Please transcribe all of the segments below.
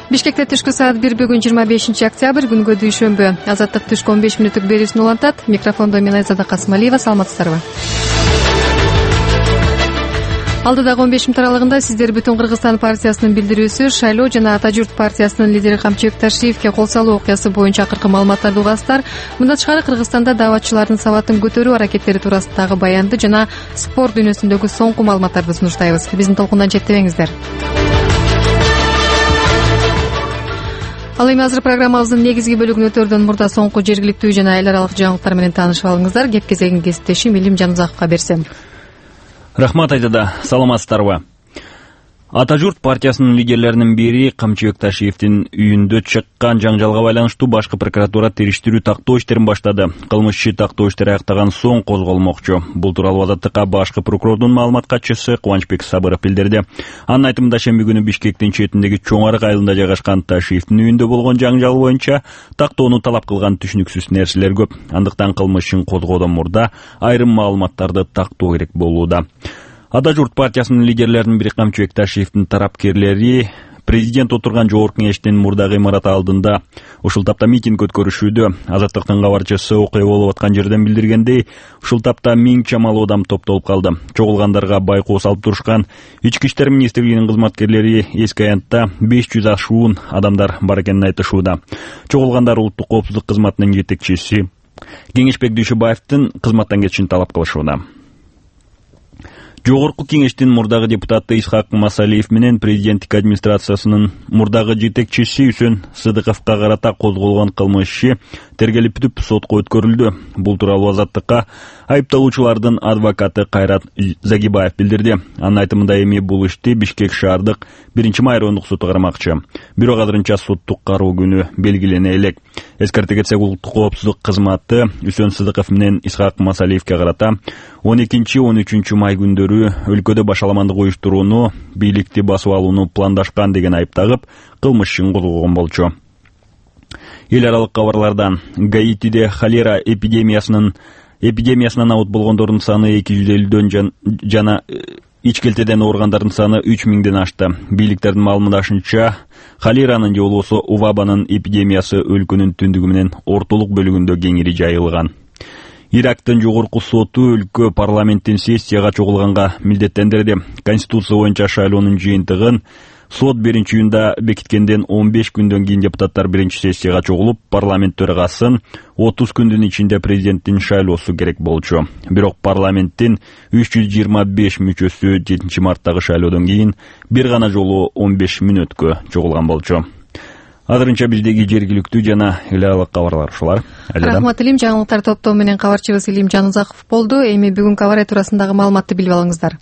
Бишкекте түшкү саат 1 бүгүн 25 октябрь күнгө дүйшөмбү. Азаттык түшкү 15 мүнөттүк берүүсүн улантат. Микрофондо мен Айзада Касымалиева. Саламатсыздарбы? Алдыдагы 15 мүнөт аралыгында сиздер Бүтүн Кыргызстан партиясынын билдирүүсү, шайлоо жана Ата журт партиясынын лидери Камчыбек Ташиевке кол салуу окуясы боюнча акыркы маалыматтарды угасыздар. Мындан тышкары Кыргызстанда дааватчылардын сабатын көтөрүү аракеттери туурасындагы баянды жана спорт дүйнөсүндөгү соңку маалыматтарды сунуштайбыз. Биздин толкундан четтебеңиздер. Ал эми азыр программабыздын негизги бөлүгүн өтөрдөн мурда соңку жергиликтүү жана эл аралык жаңылыктар менен таанышып алыңыздар. Кеп кезегин кесиптешим Илим Жанузаковго берсем. Рахмат Айзада, саламатсыздарбы? Ата журт партиясынын лидерлеринин бири Камчыбек Ташиевдин үйүндө чыккан жаңжалга байланыштуу башкы прокуратура териштирүү тактоо иштерин баштады. Кылмыш иши тактоо иштери аяктаган соң козголмокчу. Бул тууралуу Азаттыкка башкы прокурордун маалымат катчысы Кубанычбек Сабыров билдирди. Анын айтымында шемби күнү Бишкектин четиндеги Чоң Арык айылында жайгашкан Ташиевдин үйүндө болгон жаңжал боюнча тактоону талап кылган түшүнүксүз нерселер көп. Андыктан кылмыш ишин козгоодон мурда айрым маалыматтарды тактоо керек болууда. Ата журт партиясынын лидерлеринин бири Камчыбек Ташиевдин тарапкерлери президент отурган жогорку кеңештин мурдагы имараты алдында ушул тапта митинг өткөрүшүүдө. Азаттыктын кабарчысы окуя болуп аткан жерден билдиргендей, ушул тапта 1000 чамалуу адам топтолуп калды. Чогулгандарга байкоо салып турушкан. Ички иштер министрлигинин кызматкерлери эски аянтта 500 ашуун адамдар бар экенин айтышууда. Чогулгандар улуттук коопсуздук кызматынын жетекчиси Кеңешбек Дүйшөбаевдин кызматтан кетишин талап кылышууда. Жогорку кеңештин мурдагы депутаты Исхак Масалиев менен президенттик администрациясынын мурдагы жетекчиси Үсөн Сыдыковго карата козголгон кылмыш иши тергелип бүтүп сотко өткөрүлдү. Бул тууралуу Азаттыкка айыпталуучулардын адвокаты Кайрат Загибаев билдирди. Анын айтымында эми бул ишти Бишкек шаардык 1-май райондук соту кармакчы. Бирок азырынча соттук кароо күнү белгилене элек. Эскерте кетсек, улуттук коопсуздук кызматы Үсөн Сыдыков менен Исхак Масалиевке карата 12-13 май күндөрү өлкөдө башаламандык уюштурууну, бийликти басып алууну пландашкан деген айып тагып, кылмыш ишин козгогон болчу. Эл аралык кабарлардан Гаитиде холера эпидемиясынан абут болгондордун саны 250дөн жана ичкелтеден ооругандардын саны 3000ден ашты. Бийликтердин маалымдашынча, холеранын же болбосо увабанын эпидемиясы өлкөнүн түндүгү менен ортолук бөлүгүндө кеңири жайылган. Ирактын жогорку соту өлкө парламенттин сессияга чогулганга милдеттендирди. Конституция боюнча шайлоонун жыйынтыгын сот 1-июнда бекиткенден 15 күндөн кийин депутаттар 1-сессияга чогулуп, парламент төрагасын 30 күндүн ичинде президенттин шайлоосу керек болчу. Бирок парламенттин 325 мүчөсү 7-марттагы шайлоодон кийин бир гана жолу 15 мүнөткө чогулган болчу. Азырынча биздеги жергиликтүү жана эл аралык кабарлар ушулар. Рахмат Илим, жаңылыктар топтоо менен кабарчыбыз Илим Жанузаков болду. Эми бүгүнкү аба ырайы туурасындагы маалыматты билип алыңыздар.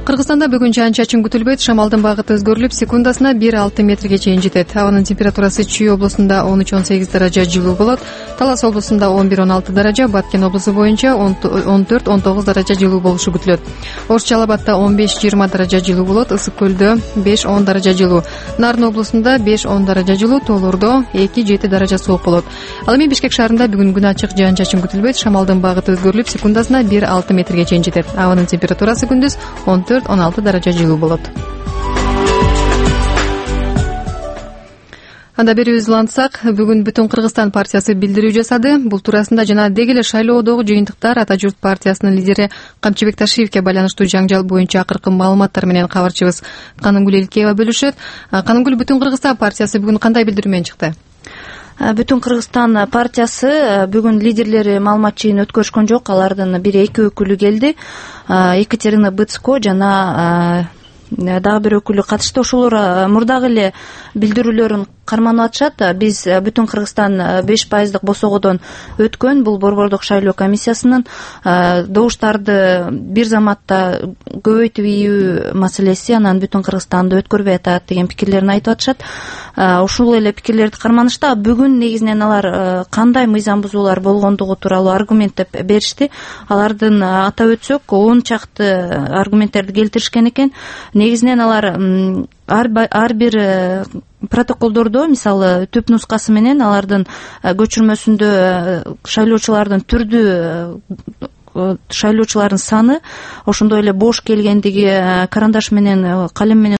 Кыргызстанда бүгүн жаан-чачын күтүлбөйт. Шамалдын багыты өзгөрүлүп, секундасына 1-6 метрге чейин жетет. Абанын температурасы Чүй облусунда 13-18 даража жылуу болот. Талас облусунда 11-16 даража, Баткен облусу боюнча 14-19 даража жылуу болушу күтүлөт. Ош Жалал Абадда 15-20 даража жылуу болот. Ысык көлдө 5-10 даража жылуу. Нарын облусунда 5-10 даража жылуу, Тоолордо 2-7 даража суук болот. Ал эми Бишкек шаарында бүгүн күн ачык, жаан-чачын күтүлбөйт. Шамалдын багыты өзгөрүлүп, секундасына 1-6 метрге чейин жетет. Абанын температурасы күндүз 14-16 даража жылуу болот. Анда берүүбүздү улантсак, бүгүн Бүтүн Кыргызстан партиясы билдирүү жасады. Бул туурасында жана деги эле шайлоодогу жыйынтыктар Ата журт партиясынын лидери Камчыбек Ташиевке байланыштуу жаңжал боюнча акыркы маалыматтар менен кабарчыбыз Канымгүл Элкеева бөлүшөт. Канымгүл, Бүтүн Кыргызстан партиясы бүгүн кандай билдирүү менен чыкты? Бүтүн Кыргызстан партиясы бүгүн лидерлери маалымат жыйыны өткөрүшкөн жок. Алардын бири эки өкүлү келди. Екатерина Быцко жана дагы бир өкүлү катышты. Ошолор мурдагы эле билдирүүлөрүн карманып атышат. Биз Бүтүн Кыргызстан 5% босогодон өткөн бул борбордук шайлоо комиссиясынын добуштарды бир заматта көбөйтүп ийүү маселеси, анан Бүтүн Кыргызстанды өткөрбөй атат деген пикирлерин айтып атышат. Ушул эле пикирлерди карманышта. Бүгүн негизинен алар кандай мыйзам бузуулар болгондугу тууралуу аргументтеп беришти. Алардын атап өтсөк 10 чакты аргументтерди келтиришкен экен. Негизинен алар ар бир протоколдордо, мисалы түп нускасы менен алардын көчүрмөсүндө шайлоочулардын шайлоочулардын саны, ошондой эле бош келгендиги, карандаш менен, калем менен